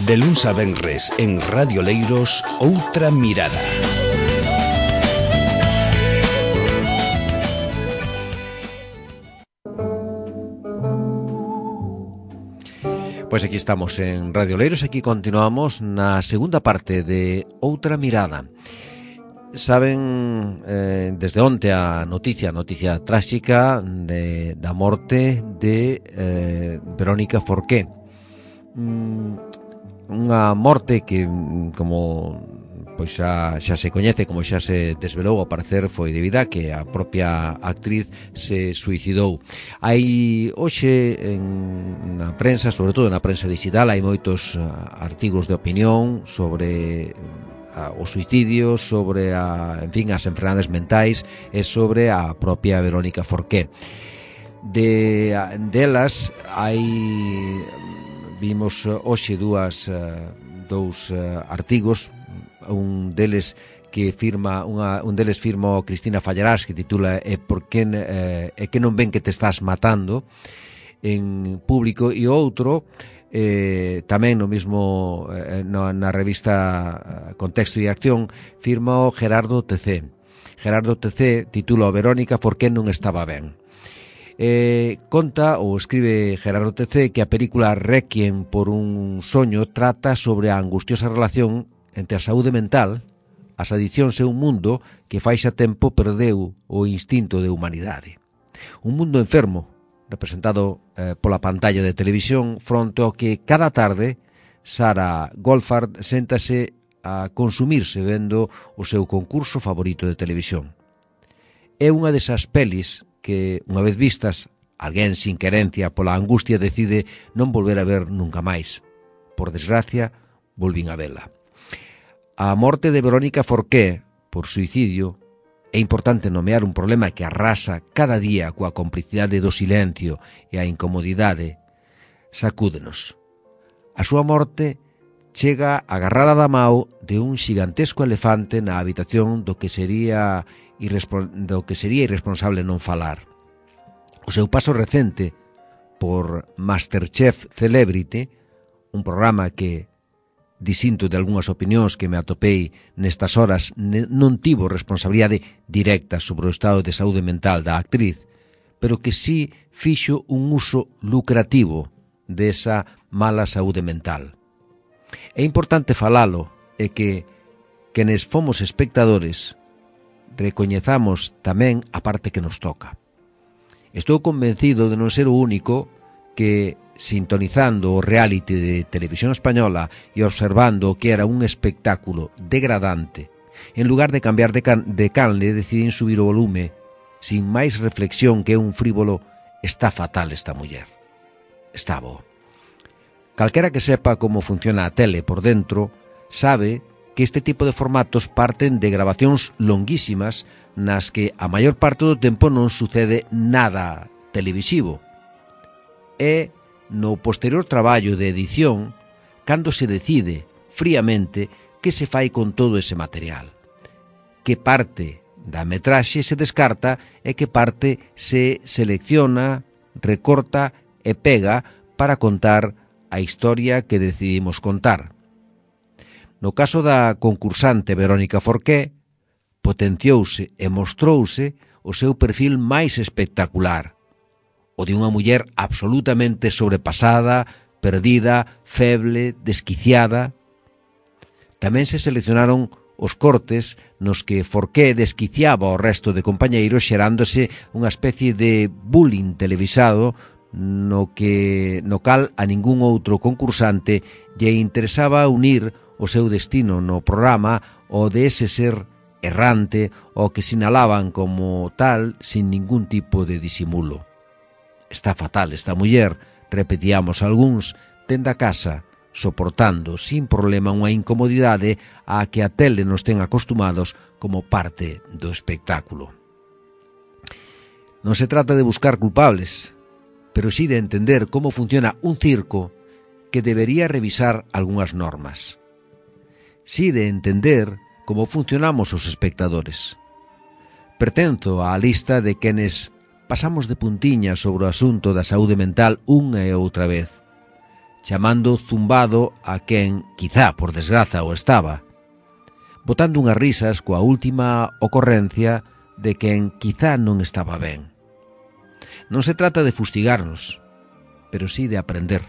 De luns a venres en Radio Leiros, Outra Mirada. Pois aquí estamos en Radio Leiros, aquí continuamos na segunda parte de Outra Mirada. Saben, desde onte a noticia tráxica da morte de Verónica Forqué. Unha morte que, como pois xa se coñece, como xa se desvelou, ao parecer foi debido a que a propia actriz se suicidou. Hai hoxe na prensa, sobre todo na prensa digital, hai moitos artigos de opinión sobre o suicidio, sobre as enfermedades mentais e sobre a propia Verónica Forqué. Delas vimos hoxe dous artigos, un deles firma Cristina Fallarás, que titula "É que non ven que te estás matando", en Público, e outro tamén no mesmo na revista Contexto e Acción, firma o Gerardo TC. Gerardo TC titula "Verónica Forqué non estaba ben". Conta ou escribe Gerardo TC que a película Requiem por un soño trata sobre a angustiosa relación entre a saúde mental, as adiccións e un mundo que fai xa tempo perdeu o instinto de humanidade. Un mundo enfermo, representado pola pantalla de televisión, fronte ao que cada tarde Sarah Goldfarb séntase a consumirse vendo o seu concurso favorito de televisión. É unha desas pelis que, unha vez vistas, alguén sin querencia pola angustia decide non volver a ver nunca máis. Por desgracia, volvín a vela. A morte de Verónica Forqué por suicidio é importante nomear un problema que arrasa cada día coa complicidade do silencio e a incomodidade. Sacúdenos. A súa morte chega agarrada da mao de un xigantesco elefante na habitación do que sería irresponsable non falar. O seu paso recente por Masterchef Celebrity, un programa que, distinto de algunhas opinións que me atopei nestas horas, non tivo responsabilidade directa sobre o estado de saúde mental da actriz, pero que sí fixo un uso lucrativo desa mala saúde mental. É importante falalo e que quenes fomos espectadores recoñezamos tamén a parte que nos toca. Estou convencido de non ser o único que, sintonizando o reality de Televisión Española e observando o que era un espectáculo degradante, en lugar de cambiar de canle, decidín subir o volume, sin máis reflexión que un frívolo "está fatal esta muller". Está bo. Calquera que sepa como funciona a tele por dentro, sabe que este tipo de formatos parten de grabacións longuísimas nas que a maior parte do tempo non sucede nada televisivo. É no posterior traballo de edición cando se decide fríamente que se fai con todo ese material. Que parte da metraxe se descarta e que parte se selecciona, recorta e pega para contar a historia que decidimos contar. No caso da concursante Verónica Forqué, potenciouse e mostrouse o seu perfil máis espectacular, o de unha muller absolutamente sobrepasada, perdida, feble, desquiciada. Tamén se seleccionaron os cortes nos que Forqué desquiciaba ao resto de compañeiros, xerándose unha especie de bullying televisado no cal a ningún outro concursante lle interesaba unir o seu destino no programa o de ese ser errante o que sinalaban como tal sin ningún tipo de disimulo. Está fatal esta muller, repetíamos algúns, dende a casa, soportando sin problema unha incomodidade á que a tele nos ten acostumados como parte do espectáculo. Non se trata de buscar culpables, pero sí de entender como funciona un circo que debería revisar algunhas normas. Sí de entender como funcionamos os espectadores. Pertenzo á lista de quenes pasamos de puntiña sobre o asunto da saúde mental unha e outra vez. chamando zumbado a quen, quizá por desgraza, o estaba, botando unhas risas coa última ocorrencia de quen quizá non estaba ben. Non se trata de fustigarnos, pero sí de aprender.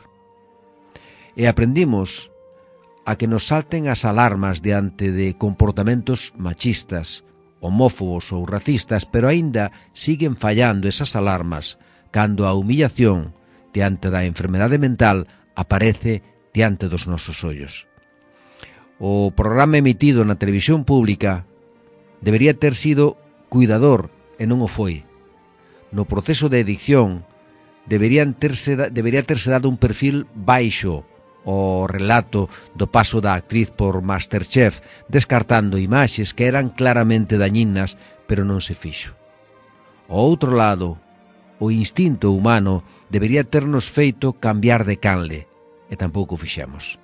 E aprendimos a que nos salten as alarmas diante de comportamentos machistas, homófobos ou racistas, pero aínda siguen fallando esas alarmas cando a humillación diante da enfermedade mental aparece diante dos nosos ollos. O programa emitido na televisión pública debería ter sido cuidador e non o foi. No proceso de edición debería terse dado un perfil baixo o relato do paso da actriz por Masterchef, descartando imaxes que eran claramente dañinas, pero non se fixo. Ao outro lado, o instinto humano debería ternos feito cambiar de canle, e tampouco fixemos.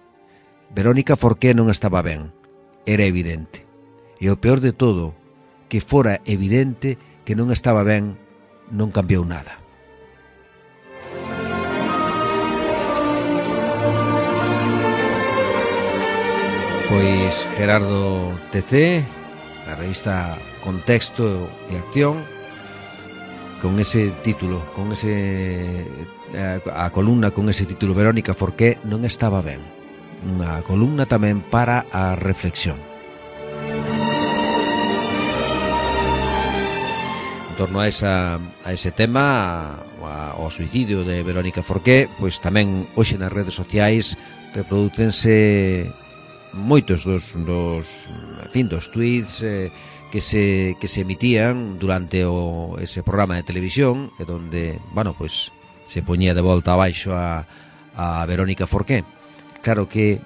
Verónica Forqué non estaba ben, era evidente. E o peor de todo, que fora evidente que non estaba ben, non cambiou nada. Pois Gerardo TC, a revista Contexto e Acción, con ese título, a columna con ese título, Verónica Forqué non estaba ben. Unha columna tamén para a reflexión. En torno a ese tema, ao suicidio de Verónica Forqué, pois tamén hoxe nas redes sociais reprodúcense moitos dos tweets que se emitían durante ese programa de televisión, e donde, pois se poñía de volta abaixo a Verónica Forqué. Claro que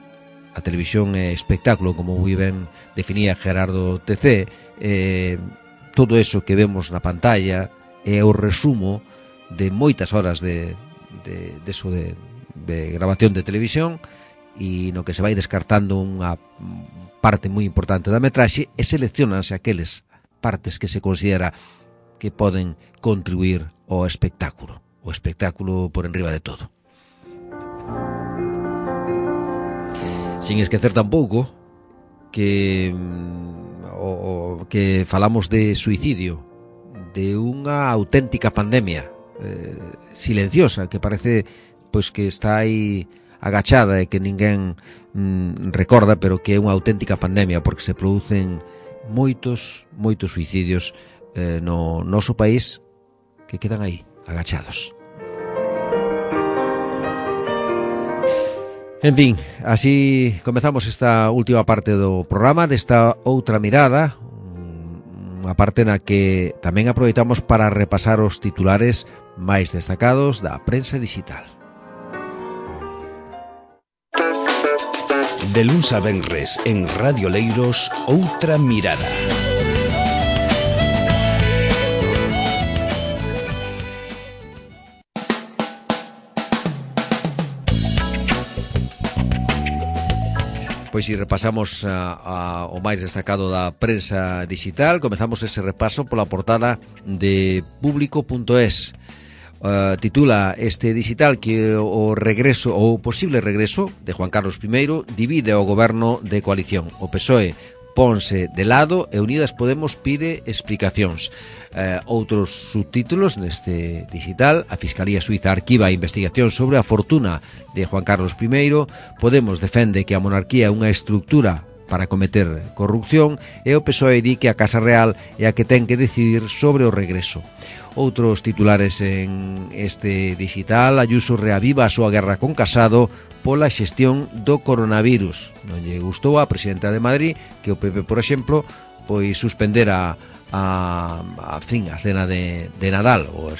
a televisión é espectáculo, como moi ben definía Gerardo TC. Todo eso que vemos na pantalla é o resumo de moitas horas de grabación de televisión, e no que se vai descartando unha parte moi importante da metraxe, e seleccionanse aqueles partes que se considera que poden contribuir ao espectáculo, o espectáculo por enriba de todo. Sin esquecer tampouco que falamos de suicidio, de unha auténtica pandemia silenciosa, que parece pois que está aí agachada e que ninguén recorda, pero que é unha auténtica pandemia, porque se producen moitos suicidios no noso país que quedan aí, agachados. En fin, así comezamos esta última parte do programa, desta outra mirada, unha parte na que tamén aproveitamos para repasar os titulares máis destacados da prensa digital. De luns a venres en Radio Leiros, outra mirada. Pois se repasamos o máis destacado da prensa digital, comezamos ese repaso pola portada de Público.es. Titula este digital que o regreso ou posible regreso de Juan Carlos I divide o goberno de coalición. O PSOE ponse de lado e Unidas Podemos pide explicacións. Outros subtítulos neste digital: a Fiscalía Suiza arquiva a investigación sobre a fortuna de Juan Carlos I, Podemos defende que a monarquía é unha estructura para cometer corrupción, e o PSOE di que a Casa Real é a que ten que decidir sobre o regreso. Outros titulares en este digital: Ayuso reaviva a súa guerra con Casado pola xestión do coronavirus. Non lle gustou a presidenta de Madrid que o PP, por exemplo, pois suspendera a cena de Nadal, ou a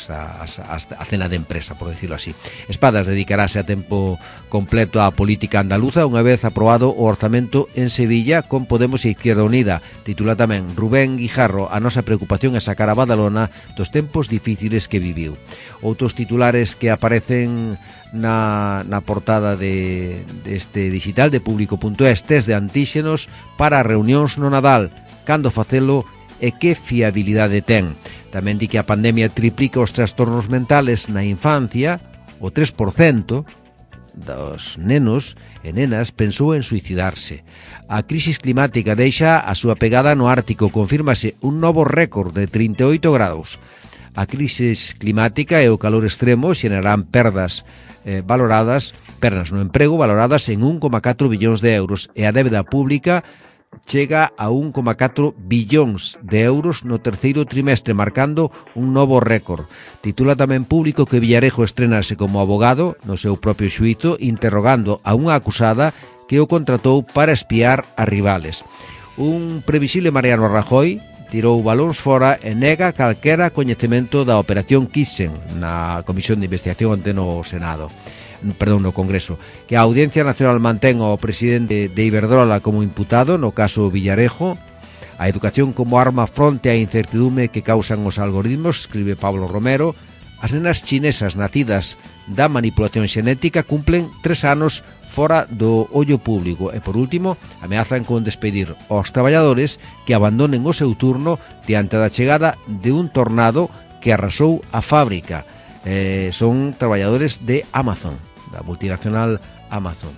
cena de empresa, por decirlo así. Espadas dedicarase a tempo completo á política andaluza unha vez aprobado o orzamento en Sevilla con Podemos e Izquierda Unida. Titula tamén Rubén Guijarro: a nosa preocupación é sacar a Badalona dos tempos difíciles que viviu. Outros titulares que aparecen na portada deste digital de Público.es: test de antíxenos para reunións no Nadal, cando facelo e que fiabilidade ten. Tamén di que a pandemia triplica os trastornos mentales na infancia, o 3%, dos nenos e nenas pensou en suicidarse. A crisis climática deixa a súa pegada no Ártico, confírmase un novo récord de 38 graus. A crisis climática e o calor extremo xerarán perdas no emprego valoradas en 1,4 billóns de euros e a débeda pública chega a 1,4 billóns de euros no terceiro trimestre, marcando un novo récord. Titula tamén Público que Villarejo estrenase como abogado no seu propio xuízo, interrogando a unha acusada que o contratou para espiar a rivales. Un previsible Mariano Rajoy tirou balóns fora e nega calquera coñecemento da Operación Kitchen na Comisión de Investigación ante no Congreso, que a Audiencia Nacional mantén ao presidente de Iberdrola como imputado no caso Villarejo, a educación como arma fronte á incertidume que causan os algoritmos, escribe Pablo Romero. As nenas chinesas nacidas da manipulación xenética cumplen 3 anos fora do ollo público e, por último, ameazan con despedir aos traballadores que abandonen o seu turno diante da chegada de un tornado que arrasou a fábrica. Son traballadores de Amazon, da multinacional Amazon.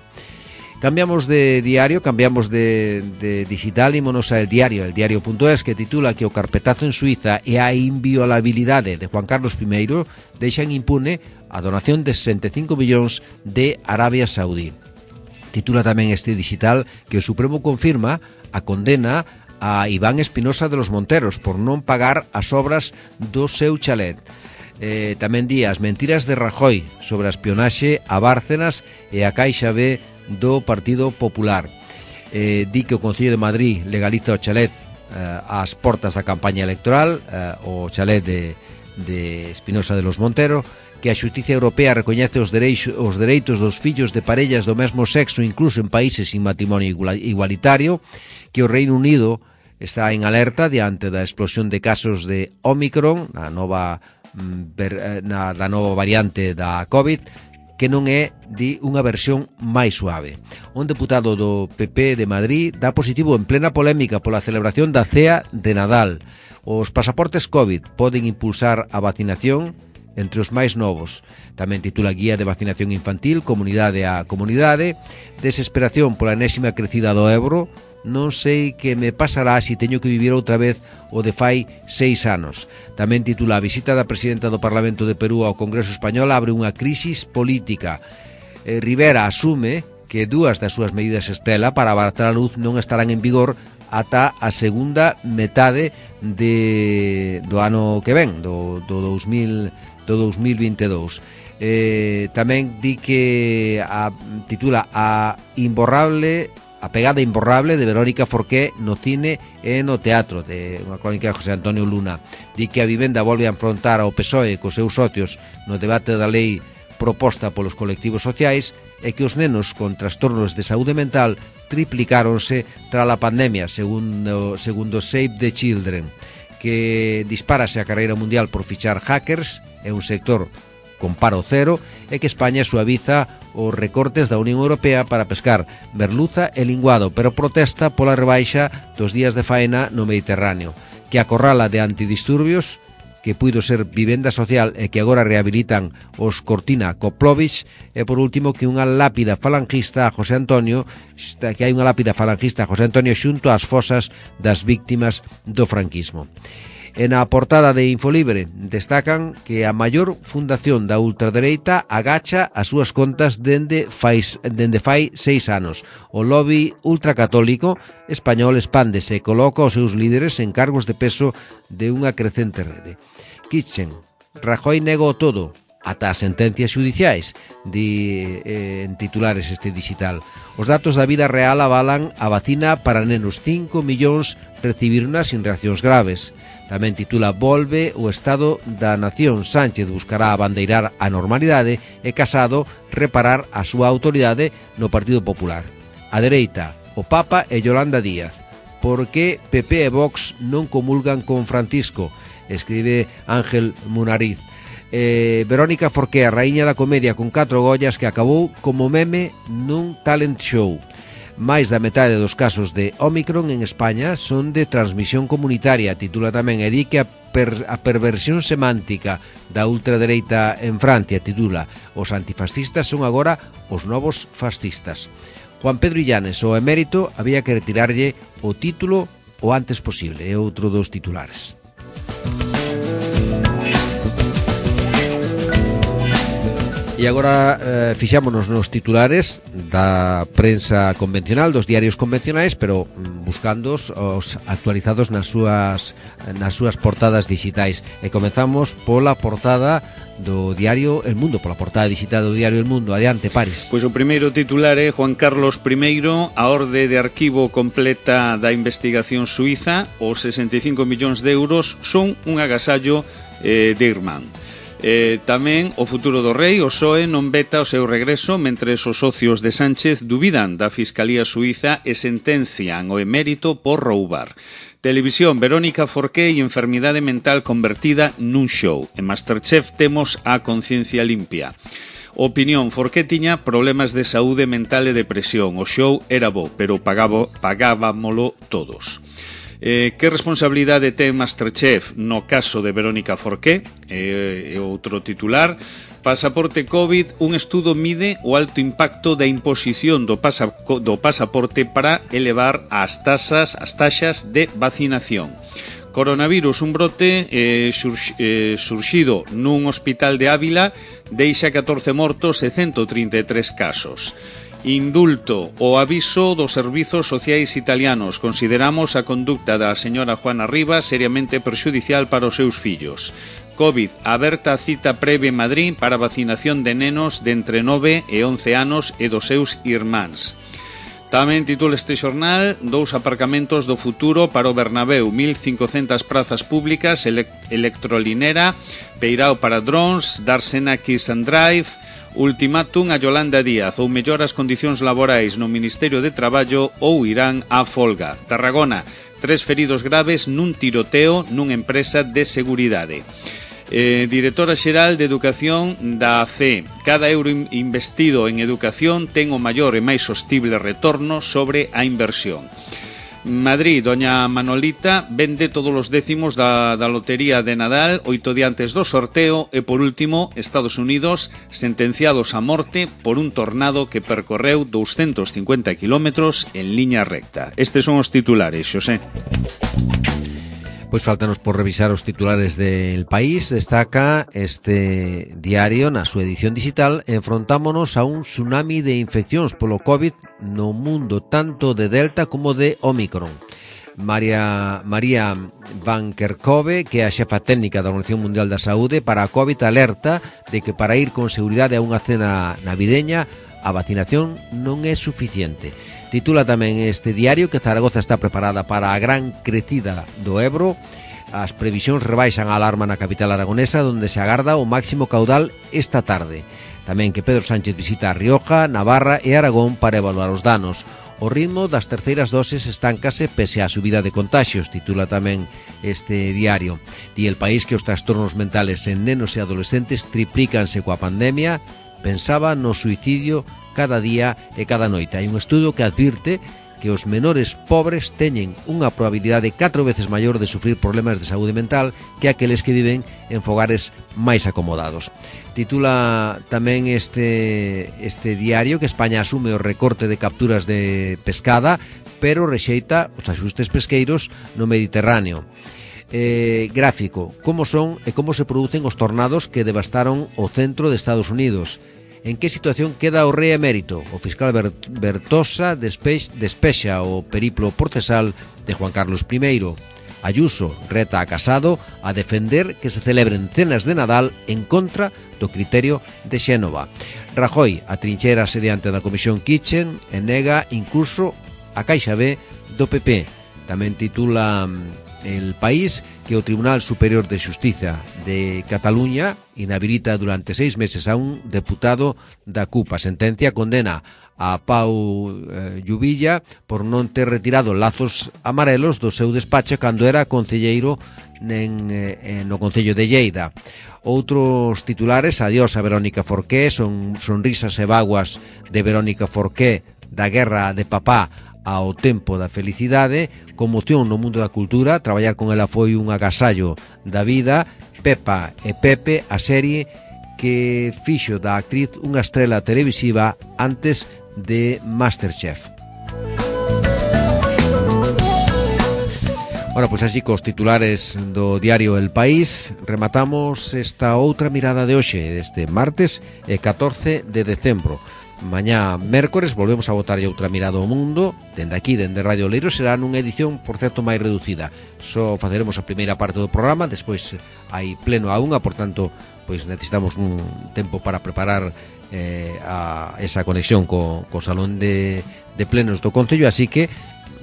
Cambiamos de diario, cambiamos de digital, ímonos a El Diario.es, que titula que o carpetazo en Suiza e a inviolabilidade de Juan Carlos I deixan impune a donación de 65 millóns de Arabia Saudí. Titula tamén este digital que o Supremo confirma a condena a Iván Espinosa de los Monteros por non pagar as obras do seu chalet. Tamén di as mentiras de Rajoy sobre a espionaxe a Bárcenas e a Caixa B do Partido Popular. Di que o Concello de Madrid legaliza o chalet ás portas da campaña electoral, o chalet de Espinosa de los Monteros, que a Xustiza Europea recoñece os dereitos dos fillos de parellas do mesmo sexo incluso en países sin matrimonio igualitario, que o Reino Unido está en alerta diante da explosión de casos de Omicron, a nova variante da COVID, que non é unha versión máis suave. Un deputado do PP de Madrid dá positivo en plena polémica pola celebración da cea de Nadal. Os pasaportes COVID poden impulsar a vacinación entre os máis novos. Tamén titula Guía de Vacinación Infantil, comunidade a comunidade. Desesperación pola enésima crecida do Ebro. Non sei que me pasará se teño que vivir outra vez o de fai 6 anos. Tamén titula A visita da presidenta do Parlamento de Perú ao Congreso Español abre unha crisis política. Rivera asume que 2 das súas medidas estrela para abaratar a luz non estarán en vigor ata a segunda metade do ano que ven, do 2022. Tamén di que titula A pegada imborrable de Verónica Forqué no cine e no teatro, de unha crónica de José Antonio Luna. Di que a vivenda volve a enfrontar ao PSOE cos seus socios no debate da lei proposta polos colectivos sociais e que os nenos con trastornos de saúde mental triplicáronse tras a pandemia, segundo Save the Children, que dispárase a carreira mundial por fichar hackers, é un sector con paro cero, e que España suaviza os recortes da Unión Europea para pescar merluza e linguado, pero protesta pola rebaixa dos días de faena no Mediterráneo, que acorrala de antidisturbios, que puido ser vivenda social e que agora rehabilitan os Cortina Koplovich, e por último que unha lápida falangista a José Antonio, que hai unha lápida falangista a José Antonio xunto ás fosas das víctimas do franquismo. En a portada de Infolibre destacan que a maior fundación da ultradereita agacha as súas contas dende fai 6 anos. O lobby ultracatólico español expándese e coloca os seus líderes en cargos de peso de unha crecente rede. Kitchen, Rajoy negou todo, ata as sentencias xudiciais, di en titulares este digital. Os datos da vida real avalan a vacina para nenos, 5 millóns recibirna sin reaccións graves. Tamén titula Volve o Estado da Nación. Sánchez buscará abandeirar a normalidade e Casado reparar a súa autoridade no Partido Popular. A dereita, o Papa e Yolanda Díaz. Por que PP e Vox non comulgan con Francisco? Escribe Ángel Munariz. Verónica Forqué, a raíña da comedia con 4 Goyas, que acabou como meme nun talent show. máis da metade dos casos de Ómicron en España son de transmisión comunitaria. Titula tamén, e di que a perversión semántica da ultradereita en Francia. Titula, os antifascistas son agora os novos fascistas. Juan Pedro Illanes, o emérito, había que retirarlle o título o antes posible. É outro dos titulares. E agora fixámonos nos titulares da prensa convencional, dos diarios convencionais, pero buscando os actualizados nas súas portadas digitais. E comezamos pola portada do diario El Mundo, pola portada digital do diario El Mundo. Adiante, Paris. Pois o primeiro titular é Juan Carlos I, a orde de arquivo completa da investigación suiza, os 65 millóns de euros son un agasallo de Irmán. Tamén o futuro do rei, o PSOE non veta o seu regreso, mentre os socios de Sánchez dubidan da Fiscalía Suiza e sentencian o emérito por roubar. Televisión, Verónica Forqué e enfermidade mental convertida nun show. En Masterchef temos a conciencia limpia. Opinión, Forqué tiña problemas de saúde mental e depresión. O show era bo, pero pagábamolo todos. Que responsabilidade ten Masterchef no caso de Verónica Forqué? Outro titular. Pasaporte COVID, un estudo mide o alto impacto da imposición do pasaporte para elevar as taxas de vacinación. Coronavirus, un brote surxido nun hospital de Ávila, deixa 14 mortos e 133 casos. Indulto, o aviso dos servizos sociais italianos. Consideramos a conducta da señora Juana Rivas seriamente perxudicial para os seus fillos. COVID, aberta a cita previa en Madrid para vacinación de nenos de entre 9 e 11 anos e dos seus irmáns. Tamén titula este xornal, 2 aparcamentos do futuro para o Bernabéu, 1.500 prazas públicas, electrolinera, peirao para drones, Darsena Kiss and Drive. Ultimátum a Yolanda Díaz, ou mellor as condicións laborais no Ministerio de Traballo ou irán á folga. Tarragona, 3 feridos graves nun tiroteo nunha empresa de seguridade. Directora xeral de Educación da AC. Cada euro investido en educación ten o maior e máis sostible retorno sobre a inversión. Madrid, doña Manolita vende todos os décimos da lotería de Nadal 8 días antes do sorteo. E por último, Estados Unidos, sentenciados a morte por un tornado que percorreu 250 kilómetros en liña recta. Estes son os titulares, Xosé. Pois faltanos por revisar os titulares del País. Destaca este diario na súa edición digital: enfrontámonos a un tsunami de infeccións polo COVID no mundo, tanto de Delta como de Ómicron. María Van Kerkhove, que é a xefa técnica da Organización Mundial da Saúde para a COVID, alerta de que para ir con seguridade a unha cena navideña a vacinación non é suficiente. Titula tamén este diario que Zaragoza está preparada para a gran crecida do Ebro. As previsións rebaixan a alarma na capital aragonesa, onde se agarda o máximo caudal esta tarde. Tamén que Pedro Sánchez visita a Rioja, Navarra e Aragón para evaluar os danos. O ritmo das terceiras doses estáncase pese á subida de contaxios, titula tamén este diario. Di El País que os trastornos mentales en nenos e adolescentes triplícanse coa pandemia. Pensaba no suicidio cada día e cada noite. Hai un estudo que advirte que os menores pobres teñen unha probabilidade 4 veces maior de sufrir problemas de saúde mental que aqueles que viven en fogares máis acomodados. Titula tamén este diario que España asume o recorte de capturas de pescada, pero rexeita os axustes pesqueiros no Mediterráneo. Gráfico, como son e como se producen os tornados que devastaron o centro de Estados Unidos. En que situación queda o rei emérito? O fiscal Bertosa despexa o periplo procesal de Juan Carlos I. Ayuso reta a Casado a defender que se celebren cenas de Nadal en contra do criterio de Xénova. Rajoy atrinchérase diante da Comisión Kitchen e nega incluso a Caixa B do PP. Tamén titula El País que o Tribunal Superior de Xustiza de Cataluña inhabilita durante 6 meses a un deputado da CUP. A sentencia condena a Pau Lluvilla por non ter retirado lazos amarelos do seu despacho cando era concelleiro no Concello de Lleida. Outros titulares: adiós a Verónica Forqué, son sonrisas e vaguas de Verónica Forqué da guerra de papá ao tempo da felicidade, conmoción no mundo da cultura. Traballar con ela foi un agasallo da vida. Pepa e Pepe, a serie que fixo da actriz unha estrela televisiva antes de Masterchef. Bueno, pois así cos titulares do diario El País rematamos esta outra mirada de hoxe, este martes 14 de decembro. Mañá mércores volvemos a botarlle outra mirada ao mundo. Dende aquí, dende Radio Leiros, será nunha edición, por certo, máis reducida. Só faceremos a primeira parte do programa, despois hai pleno a unha, por tanto, pois necesitamos un tempo para preparar esa conexión co salón de plenos do Concello, así que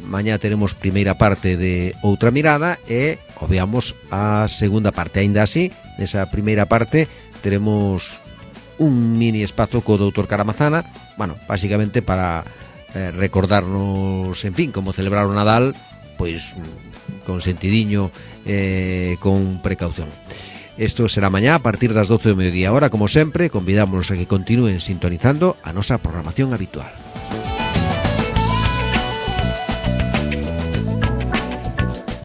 mañá teremos primeira parte de outra mirada e obviamos a segunda parte. Aínda así, nesa primeira parte teremos un mini espazo co doutor Caramazana, bueno, básicamente para recordarnos, en fin, como celebrar o Nadal, pois con sentidiño, con precaución. Isto será mañá a partir das 12 do mediodía. Ahora, como sempre, convidámonos a que continúen sintonizando a nosa programación habitual.